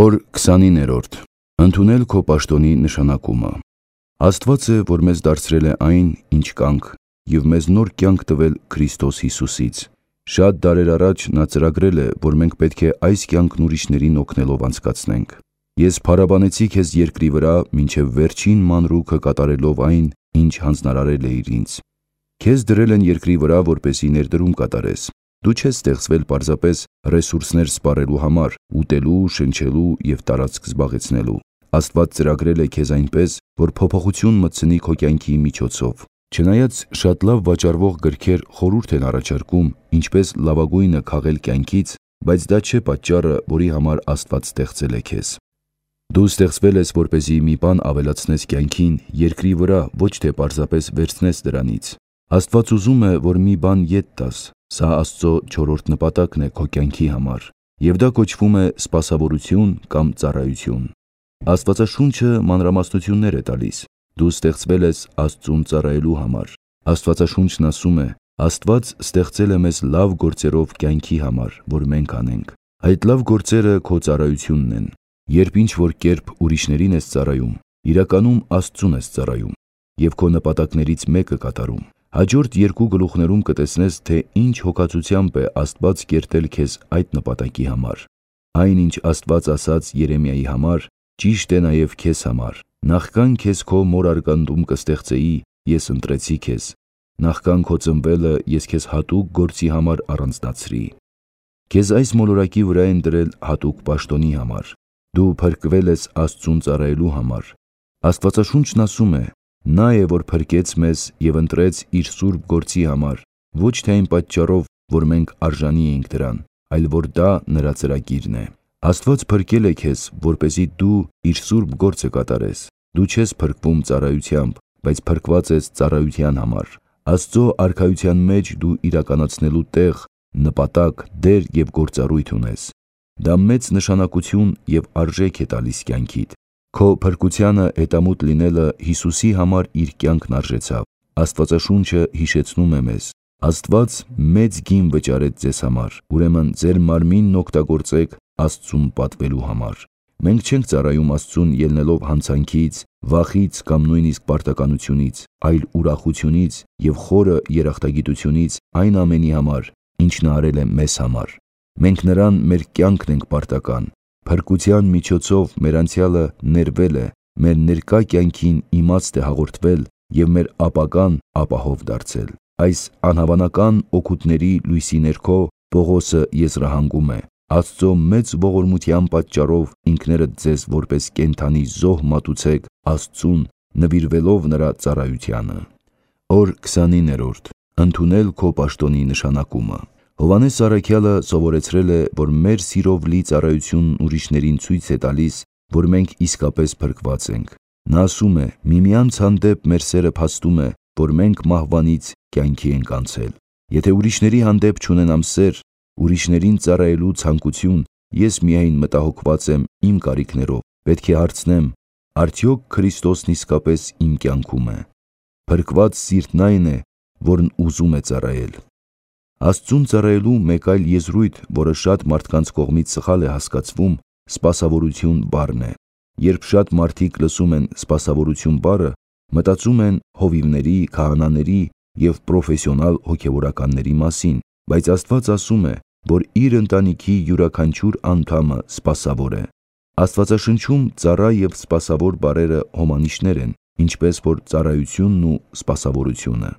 Օր 29-րդ. Ընդունել քո պաշտոնի նշանակումը։ Աստված է, որ մեզ դարձրել է այն, ինչ կանք, և մեզ նոր կյանք տվել Քրիստոս Հիսուսից։ Շատ դարեր առաջ նա ծրագրել է, որ մենք պետք է այս կյանքն ուրիշներին օգնելով անցկացնենք։ Ես փարաբանեցի քեզ երկրի վրա, մինչև վերջին մանրուքը կատարելով այն, ինչ հանձնարարել էիր ինձ։ Քեզ դրել են երկրի վրա, որպեսզի ներդրում կատարես։ Դու չես ստեղծվել պարզապես ռեսուրսներ սպառելու համար, ուտելու, շնչելու և տարածք զբաղեցնելու։ Աստված ծրագրել է քեզ այնպես, որ փոփոխություն մտցնի քո կյանքի միջոցով։ Չնայած շատ լավ վաճառվող գրքեր խորհուրդ են առաջարկում ինչպես լավագույնը քաղել կյանքից, բայց դա չէ պատճառը, որի համար Աստված ստեղծել է քեզ։ Դու ստեղծվել ես, որպեսզի մի բան ավելացնես կյանքին, երկրի վրա, ոչ թե պարզապես վերցնես դրանից։ Աստված ուզում է, որ մի բան ետ տաս։ Սա Աստծո չորրորդ նպատակն է քո կյանքի համար, և դա կոչվում է սպասավորություն կամ ծառայություն։ Աստվածաշունչը մանրամասնություններ է տալիս։ Դու ստեղծվել ես Աստծուն ծառայելու համար։ Աստվածաշունչն ասում է. Աստված ստեղծել է մեզ լավ գործերով կյանքի համար, որ մենք անենք։ Այդ լավ գործերը քո ծառայությունն են։ Երբ ինչ-որ կերպ ուրիշներին ես ծառայում, իրականում Աստծուն ես ծառայում և քո նպատակներից մեկը կատարում։ Հաջորդ երկու գլուխներում կտեսնես, թե ինչ հոգացությամբ է Աստված կերտել քեզ այդ նպատակի համար։ Այն, ինչ Աստված ասաց Երեմիայի համար, ճիշտ է նաև քեզ համար։ Նախքան քեզ քո մոր արգանդում կստեղծեի, ես ընտրեցի քեզ։ Նախքան քո ծնվելը ես քեզ հատուկ գործի համար առանձնացրի։ Քեզ այս մոլորակի վրա են դրել հատուկ պաշտոնի համար։ Դու փրկվել ես Աստծուն ծառայելու համար։ Աստվածաշունչն ասում է. Նա է, որ փրկեց մեզ և ընտրեց իր սուրբ գործի համար, ոչ թե այն պատճառով, որ մենք արժանի էինք դրան, այլ որ դա նրա ծրագիրն է։ Աստված փրկել է քեզ, որպեսզի դու իր սուրբ գործը կատարես։ Դու չես փրկվում ծառայությամբ, բայց փրկված ես ծառայության համար։ Աստծո արքայության մեջ դու իրականացնելու տեղ, նպատակ, դեր և գործառույթ ունես։ Դա մեծ նշանակություն և արժեք է տալիս կյանքիդ։ Քո փրկությանը հետամուտ լինելը Հիսուսի համար իր կյանքն արժեցավ։ Աստվածաշունչը հիշեցնում է մեզ. Աստված մեծ գին վճարեց ձեզ համար, ուրեմն ձեր մարմինն օգտագործեք Աստծուն պատվելու համար։ Մենք չենք ծառայում Աստծուն ելնելով հանցանքից, վախից կամ նույնիսկ պարտականությունից, այլ ուրախությունից և խորը երախտագիտությունից այն ամենի համար, ինչ նա արել է մեզ համար։ Մենք նրան մեր կյանքն ենք պարտական։ Փրկության միջոցով մեր անցյալը ներվել է, մեր ներկա կյանքին իմաստ է հաղորդվել և մեր ապագան ապահով դարձել։ Այս անհավանական օգուտների լույսի ներքո Պողոսը եզրահանգում է. Աստծո մեծ ողորմության պատճառով ինքներդ ձեզ որպես կենդանի զոհ մատուցեք Աստծուն, նվիրվելով նրա ծառայությանը։ Օր 29-րդ. Ընդունել քո պաշտոնի նշանակումը։ Հովհաննես առաքյալը սովորեցրել է, որ մեր սիրով լի ծառայությունն ուրիշներին ցույց է տալիս, որ մենք իսկապես փրկված ենք։ Նա ասում է. միմյանց հանդեպ մեր սերը փաստում է, որ մենք մահվանից կյանքի ենք անցել։ Եթե ուրիշների հանդեպ չունենամ սեր, ուրիշներին ծառայելու ցանկություն, ես միայն մտահոգված եմ իմ կարիքներով, պետք է հարցնեմ. արդյոք Քրիստոսն իսկապես իմ կյանքում է։ Փրկված սիրտն այն է, որն ուզում է ծառայել։ Աստծուն ծառայելու մեկ այլ եզրույթ, որը շատ մարդկանց կողմից սխալ է հասկացվում, սպասավորություն բառն է։ Երբ շատ մարդիկ լսում են սպասավորություն բառը, մտածում են հովիվների, քահանաների և պրոֆեսիոնալ հոգևորականների մասին, բայց Աստված ասում է, որ իր ընտանիքի յուրաքանչյուր անդամը սպասավոր է։ Աստվածաշնչում ծառա և սպասավոր բառերը հոմանիշներ են, ինչպես որ ծառայությունն ու սպասավորությունը։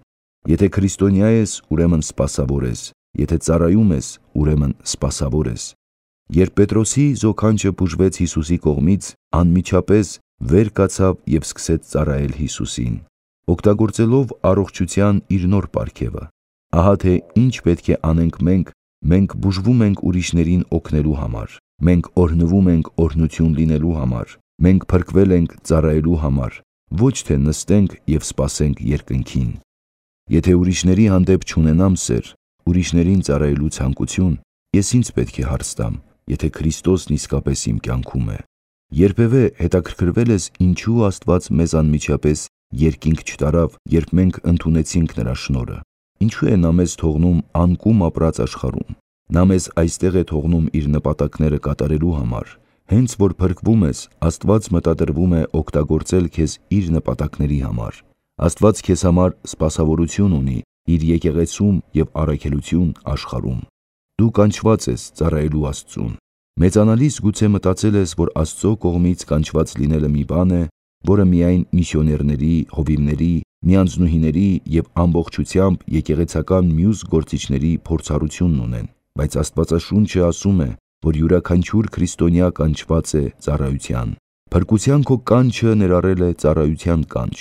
Եթե քրիստոնյա ես, ուրեմն սպասավոր ես, եթե ծառայում ես, ուրեմն սպասավոր ես։ Երբ Պետրոսի զոքանչը բուժվեց Հիսուսի կողմից, անմիջապես վեր կացավ և սկսեց ծառայել Հիսուսին, օգտագործելով առողջության իր նոր պարգևը։ Ահա թե ինչ պետք է անենք մենք բուժվում ենք ուրիշներին օգնելու համար, մենք օրհնվում ենք օրհնություն լինելու համար, մենք փրկվել ենք ծառայելու համար, ոչ թե նստենք և սպասենք երկնքին։ Եթե ուրիշների հանդեպ չունենամ սեր, ուրիշներին ծառայելու ցանկություն, ես ինձ պետք է հարց տամ, եթե Քրիստոսն իսկապես իմ կյանքում է։ Երբևէ հետաքրքրվել ես ինչու Աստված մեզ անմիջապես երկինք չտարավ, երբ մենք ընդունեցինք նրա շնորհը։ Ինչու է նա մեզ թողնում անկում ապրած աշխարհում։ Նա մեզ այստեղ է թողնում իր նպատակները կատարելու համար, Հենց որ փրկվում ես, Աստված մտադրվում է օգտագործել քեզ իր նպատակների համար։ Աստված քեզ համար սպասավորություն ունի իր եկեղեցում և առաքելություն աշխարհում։ Դու կանչված ես ծառայելու Աստծուն։ Մեծանալիս գուցե մտածել ես, որ Աստծո կողմից կանչված լինելը մի բան է, որը միայն միսիոներների, հովիվների, միանձնուհիների և ամբողջությամբ եկեղեցական մյուս գործիչների փորձառությունն ունեն, բայց Աստվածաշունչը ասում է, որ յուրաքանչյուր քրիստոնյա կանչված է ծառայության։ Փրկության քո կանչը ներառել է ծառայության կանչ։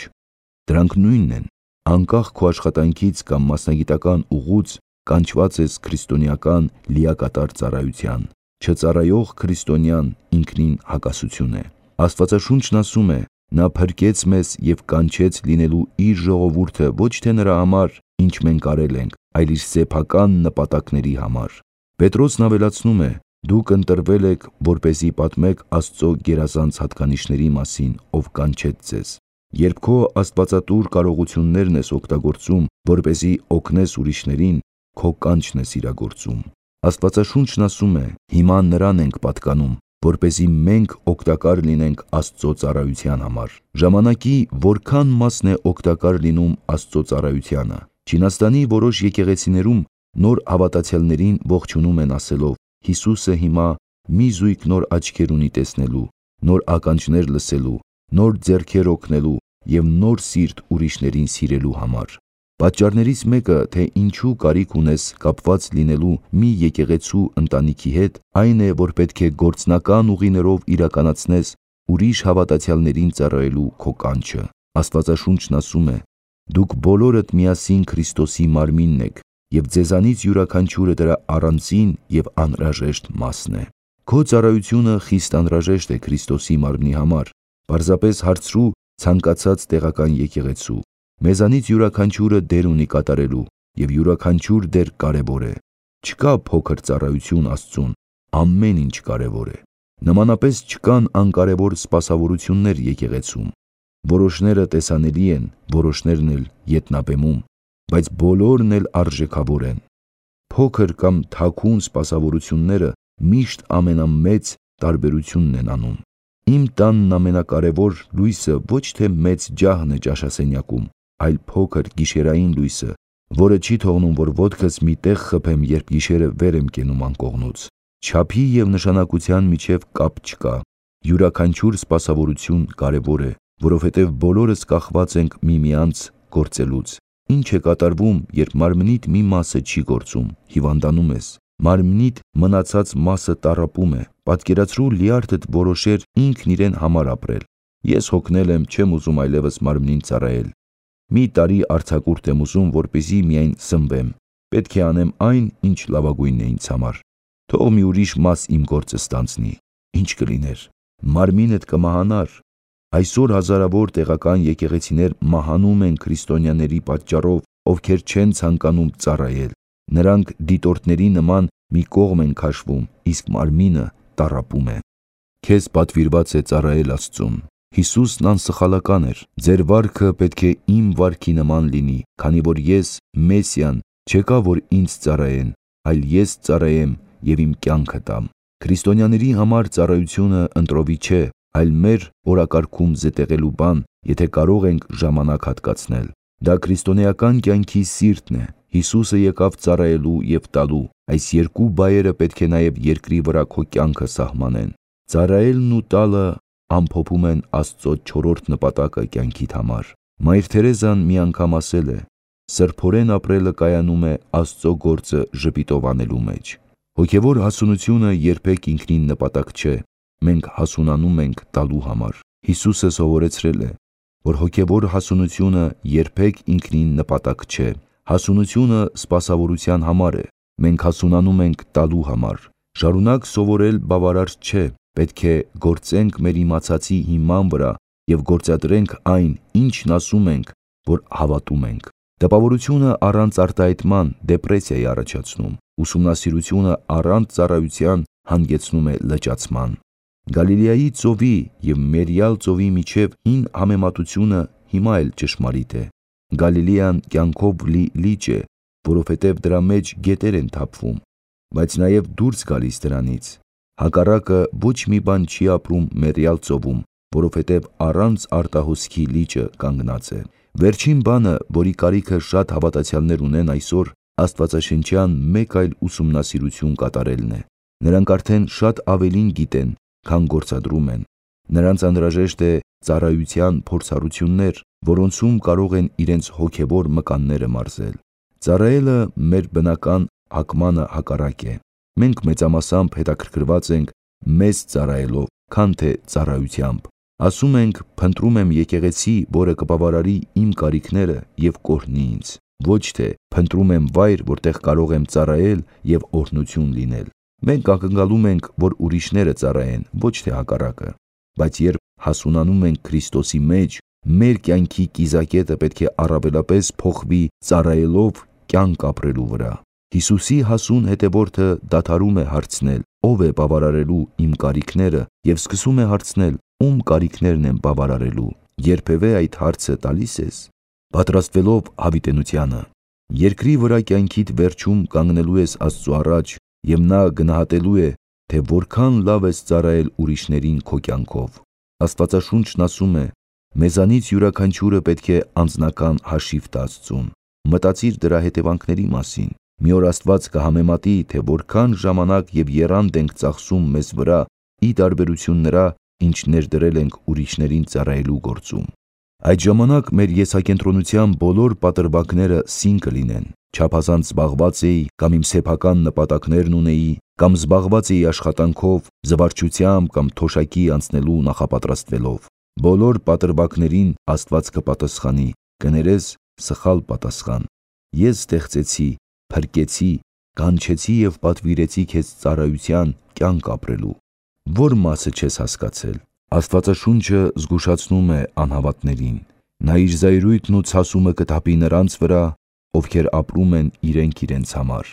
Դրանք նույնն են։ Անկախ քո աշխատանքից կամ մասնագիտական ուղուց կանչված ես քրիստոնեական լիակատար ծառայության։ Չծառայող քրիստոնյան ինքնին հակասություն է։ Աստվածաշունչն ասում է. նա փրկեց մեզ և կանչեց լինելու իր ժողովուրդը ոչ թե նրա համար, ինչ մենք արել ենք, այլ իր սեփական նպատակների համար։ Պետրոսն ավելացնում է. դուք ընտրվել եք, որպեսզի պատմեք Աստծո գերազանց հատկանիշների մասին, ով կանչեց ձեզ։ Երբ քո աստվածատուր կարողություններն ես օգտագործում, որպեսզի օգնես ուրիշներին, քո կանչն ես իրագործում։ Աստվածաշունչն ասում է. հիմա նրան ենք պատկանում, որպեսզի մենք օգտակար լինենք Աստծո ծառայության համար։ Ժամանակի որքան մասն է օգտակար լինում Աստծո ծառայությանը։ Չինաստանի որոշ եկեղեցիներում նոր հավատացյալներին ողջունում են ասելով. Հիսուսը հիմա մի զույգ նոր աչքեր ունի տեսնելու, նոր ականջներ լսելու, նոր ձեռքեր օգնելու և նոր սիրտ ուրիշներին սիրելու համար։ Պատճառներից մեկը, թե ինչու կարիք ունես կապված լինելու մի եկեղեցու ընտանիքի հետ, այն է, որ պետք է գործնական ուղիներով իրականացնես ուրիշ հավատացյալներին ծառայելու քո կանչը։ Աստվածաշունչն ասում է. դուք բոլորդ միասին Քրիստոսի մարմինն եք, և ձեզանից յուրաքանչյուրը դրա առանձին և անհրաժեշտ մասն է։ Քո ծառայությունը խիստ անհրաժեշտ է Քրիստոսի մարմնի համար։ Պարզապես հարցրու ցանկացած տեղական եկեղեցու։ Մեզանից յուրաքանչյուրը դեր ունի կատարելու, և յուրաքանչյուր դեր կարևոր է։ Չկա փոքր ծառայություն Աստծուն, ամեն ինչ կարևոր է։ Նմանապես չկան անկարևոր սպասավորություններ եկեղեցում։ Որոշները տեսանելի են, որոշներն էլ ետնաբեմում, բայց բոլորն էլ արժեքավոր են։ Փոքր կամ թաքուն սպասավորությունները միշտ ամենամեծ տարբերությունն են անում։ Իմ տանն ամենակարևոր լույսը ոչ թե մեծ ջահն է ճաշասենյակում, այլ փոքր գիշերային լույսը, որը չի թողնում, որ ոտքս մի տեղ խփեմ, երբ գիշերը վեր եմ կենում անկողնուց։ Չափի և նշանակության միջև կապ չկա։ Յուրաքանչյուր սպասավորություն կարևոր է, որովհետև բոլորս կախված ենք միմյանց գործելուց։ Ինչ է կատարվում, երբ մարմնիդ մի մասը չի գործում, հիվանդանում ես։ Մարմնիդ մնացած մասը տառապում է։ Պատկերացրու լիարդդ որոշեր ինքն իրեն համար ապրել։ Ես հոգնել եմ, չեմ ուզում այլևս մարմնին ծառայել։ Մի տարի արձակուրդ եմ ուզում, որպեսզի միայն սնվեմ։ Պետք է անեմ այն, ինչ լավագույնն է ինձ համար։ Թող մի ուրիշ մաս իմ գործը ստանձնի։ Ինչ կլիներ։ Մարմինդ կմահանար։ Այսօր հազարավոր տեղական եկեղեցիներ մահանում են քրիստոնյաների պատճառով, ովքեր չեն ցանկանում ծառայել։ Նրանք դիտորդների նման մի կողմ են քաշվում, իսկ մարմինը տառապում է։ Քեզ պատվիրված է ծառայել Աստծուն։ Հիսուսն անսխալական էր։ Ձեր վարքը պետք է իմ վարքի նման լինի, քանի որ ես Մեսիան չեկա, որ ինձ ծառայեն, այլ ես ծառայեմ և իմ կյանքը տամ։ Քրիստոնյաների համար ծառայությունը ընտրովի չէ, այլ մեր օրակարգում զետեղելու բան, եթե կարող ենք ժամանակ հատկացնել։ Դա քրիստոնեական կյանքի սիրտն է։ Հիսուսը եկավ ծառայելու և տալու։ Այս երկու բայերը պետք է նաև երկրի վրա քո կյանքը սահմանեն։ Ծառայելն ու տալը ամփոփում են Աստծո չորրորդ նպատակը կյանքիդ համար։ Մայր Թերեզան մի անգամ ասել է. սրբորեն ապրելը կայանում է Աստծո գործը ժպիտով անելու մեջ։ Հոգևոր հասունությունը երբեք ինքնին նպատակ չէ։ Մենք հասունանում ենք տալու համար։ Հիսուսը սովորեցրել է, որ հոգևոր հասունությունը երբեք ինքնին նպատակ չէ։ Հասունությունը սպասավորության համար է։ Մենք հասունանում ենք տալու համար։ Շարունակ սովորել բավարար չէ։ Պետք է գործենք մեր իմացածի հիման վրա և գործադրենք այն, ինչն ասում ենք, որ հավատում ենք։ Տպավորությունը առանց արտահայտման դեպրեսիա է առաջացնում։ Ուսումնասիրությունը առանց ծառայության հանգեցնում է լճացման։ Գալիլեայի ծովի և Մերիալ ծովի միջև հին համեմատությունը հիմա էլ ճշմարիտ է։ Գալիլեան կյանքով լի լիճ է, որովհետև դրա մեջ գետեր են թափվում, բայց նաև դուրս գալիս դրանից։ Հակառակը ոչ մի բան չի ապրում մեռյալ ծովում, որովհետև առանց արտահոսքի լիճը կանգնած է։ Վերջին բանը, որի կարիքը շատ հավատացյալներ ունեն այսօր, աստվածաշնչյան մեկ այլ ուսումնասիրություն կատարելն է։ Նրանք արդեն շատ ավելին գիտեն, քան գործադրում են։ Նրանց անհրաժեշտ է ծառայության փորձառություններ, որոնցում կարող են իրենց հոգևոր մկանները մարզել։ Ծառայելը մեր բնական հակմանը հակառակ է։ Մենք մեծամասամբ հետաքրքրված ենք մեզ ծառայելով, քան թե ծառայությամբ։ Ասում ենք, փնտրում եմ եկեղեցի, որը կբավարարի իմ կարիքները և կօրհնի ինձ, ոչ թե փնտրում եմ վայր, որտեղ կարող եմ ծառայել և օրհնություն լինել։ Մենք ակնկալում ենք, որ ուրիշները ծառայեն, ոչ թե հակառակը։ Բայց երբ հասունանում ենք Քրիստոսի մեջ, մեր կյանքի կիզակետը պետք է առավելապես փոխվի ծառայելով կյանք ապրելու վրա։ Հիսուսի հասուն հետևորդը դադարում է հարցնել. «Ո՞վ է բավարարելու իմ կարիքները» և սկսում է հարցնել. «Ում կարիքներն եմ բավարարելու»։ Երբևէ այդ հարցը տալի՞ս ես։ Պատրաստվելով հավիտենությանը, երկրի վրա կյանքիդ վերջում կանգնելու ես Աստծու առաջ, և նա գնահատելու է, թե որքան լավ ես ծառայել ուրիշներին քո կյանքով։ Աստվածաշունչն ասում է. «Մեզանից յուրաքանչյուրը պետք է անձնական հաշիվ տա Աստծուն»։ Մտածիր դրա հետևանքների մասին։ Մի օր Աստված կհամեմատի, թե որքան ժամանակ և եռանդ ենք ծախսում մեզ վրա, ի տարբերություն նրա, ինչ ներդրել ենք ուրիշներին ծառայելու գործում։ Այդ ժամանակ մեր եսակենտրոնության բոլոր պատրվակները սին կլինեն։ Չափազանց զբաղված էի, կամ իմ սեփական նպատակներն ունեի, կամ զբաղված էի աշխատանքով, զվարճությամբ կամ թոշակի անցնելու նախապատրաստվելով։ Բոլոր պատրվակներին Աստված կպատասխանի, կներես սխալ պատասխան։ Ես ստեղծեցի, փրկեցի, կանչեցի և պատվիրեցի քեզ ծառայության կյանք ապրելու։ Ո՞ր մասը չես հասկացել։ Աստվածաշունչը զգուշացնում է անհավատներին։ Նա իր զայրույթն ու ցասումը կթափի նրանց վրա, ովքեր ապրում են իրենք համար։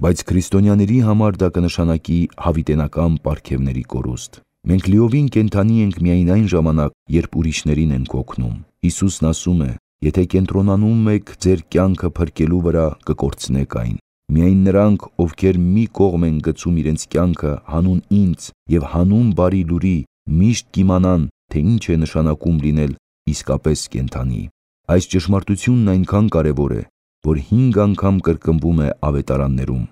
Բայց քրիստոնյաների համար դա կնշանակի հավիտենական պարգևների կորուստ։ Մենք լիովին կենդանի ենք միայն այն ժամանակ, երբ ուրիշներին ենք օգնում։ Հիսուսն ասում է. «Եթե կենտրոնանում եք ձեր կյանքը փրկելու վրա, կկորցնեք այն»։ Միայն նրանք, ովքեր մի կողմ են գցում իրենց կյանքը հանուն ինձ և հանուն բարի լուրի, միշտ կիմանան, թե ինչ է նշանակում լինել իսկապես կենդանի։ Այս ճշմարտությունն այնքան կարևոր է, որ 5 անգամ կրկնվում է ավետարաններում։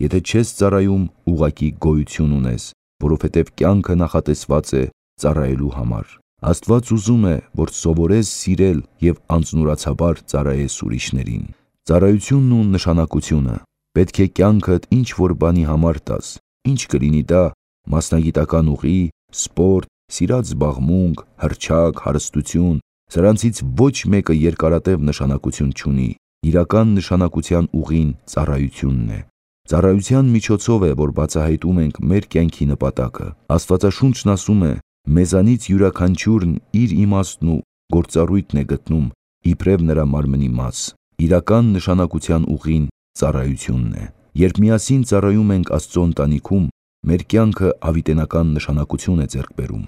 Եթե չես ծառայում, ուղղակի գոյություն ունես, որովհետև կյանքը նախատեսված է ծառայելու համար։ Աստված ուզում է, որ սովորես սիրել և անձնուրացաբար ծառայես ուրիշներին։ Ծառայությունն ու նշանակությունը։ Պետք է կյանքդ ինչ-որ բանի համար տաս։ Ինչ կլինի դա՝ մասնագիտական ուղի, սպորտ, սիրած զբաղմունք, հռչակ, հարստություն։ Սրանցից ոչ մեկը երկարատև նշանակություն չունի։ Իրական նշանակության ուղին ծառայությունն է։ Ծառայության միջոցով է, որ բացահայտում ենք մեր կյանքի նպատակը։ Աստվածաշունչն ասում է. «Մեզանից յուրաքանչյուրն իր իմաստն ու գործառույթն է գտնում, իբրև նրա մարմնի մաս»։ Իրական նշանակության ուղին ծառայությունն է։ Երբ միասին ծառայում ենք Աստծո ընտանիքում, մեր կյանքը հավիտենական նշանակություն է ձեռք բերում։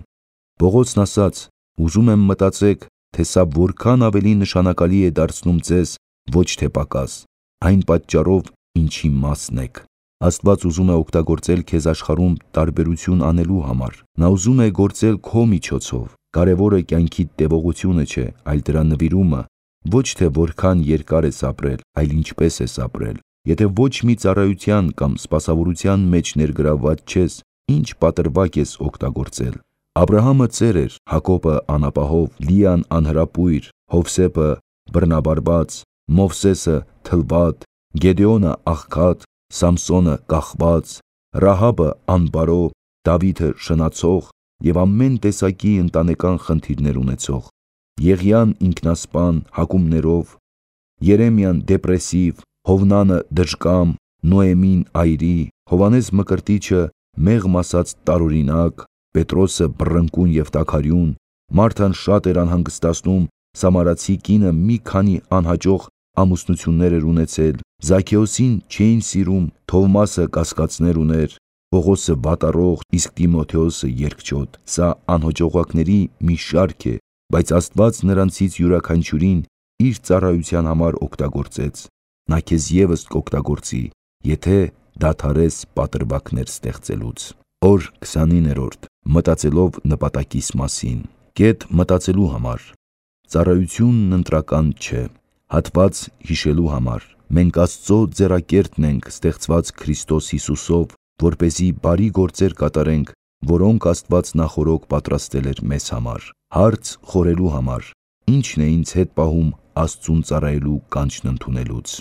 Պողոսն ասաց. «Ուզում եմ մտածեք, թե սա որքան ավելի նշանակալի է դարձնում ձեզ, ոչ թե պակաս, այն պատճառով, ինչի մասն եք»։ Աստված ուզում է օգտագործել քեզ աշխարհում տարբերություն անելու համար։ Նա ուզում է գործել քո միջոցով։ Կարևորը կյանքիդ տևողությունը չէ, այլ դրա նվիրումը։ Ոչ թե որքան երկար ես ապրել, այլ ինչպես ես ապրել։ Եթե ոչ մի ծառայության կամ սպասավորության մեջ ներգրավված չես, ինչ պատրվակ ես օգտագործել։ Աբրահամը ծեր էր, Հակոբը անապահով, Լիան անհրապույր, Հովսեփը բռնաբարբած, Մովսեսը թլված, Գեդեոնը աղքատ, Սամսոնը կախված, Ռահաբը անբարո, Դավիթը շնացող և ամեն տեսակի ընտանեկան խնդիրներ ունեցող, Եղիան ինքնասպան, հակումներով, Երեմիան դեպրեսիվ, Հովնանը դժկամ, Նոեմին այրի, Հովհաննես Մկրտիչը մեղմ ասած տարօրինակ, Պետրոսը բռնկուն և տաքարյուն, Մարթան շատ էր անհանգստացնում, Սամարացի կինը մի քանի անհաջող ամուսնություններ էր ունեցել, Զաքեոսին չէին սիրում, Թովմասը կասկածներ ուներ, Պողոսը վատառող, իսկ Տիմոթեոսը երկչոտ։ Սա անհաջողակների մի շարք է, բայց Աստված նրանցից յուրաքանչյուրին իր ծառայության համար օգտագործեց։ Նա քեզ ևս կօգտագործի, եթե դադարես պատրվակներ ստեղծելուց։ Օր 29-րդ. Մտածելով նպատակիս մասին։ Կետ մտածելու համար։ Ծառայությունն ընտրական չէ։ Հատված հիշելու համար։ Մենք Աստծո ձեռակերտն ենք ստեղծված Քրիստոս Հիսուսով, որպեսզի բարի գործեր կատարենք, որոնք Աստված նախօրոք պատրաստել էր մեզ համար։ Հարց խորելու համար. ի՞նչն է ինձ հետ պահում Աստծուն ծառայելու կանչն ընդունելուց։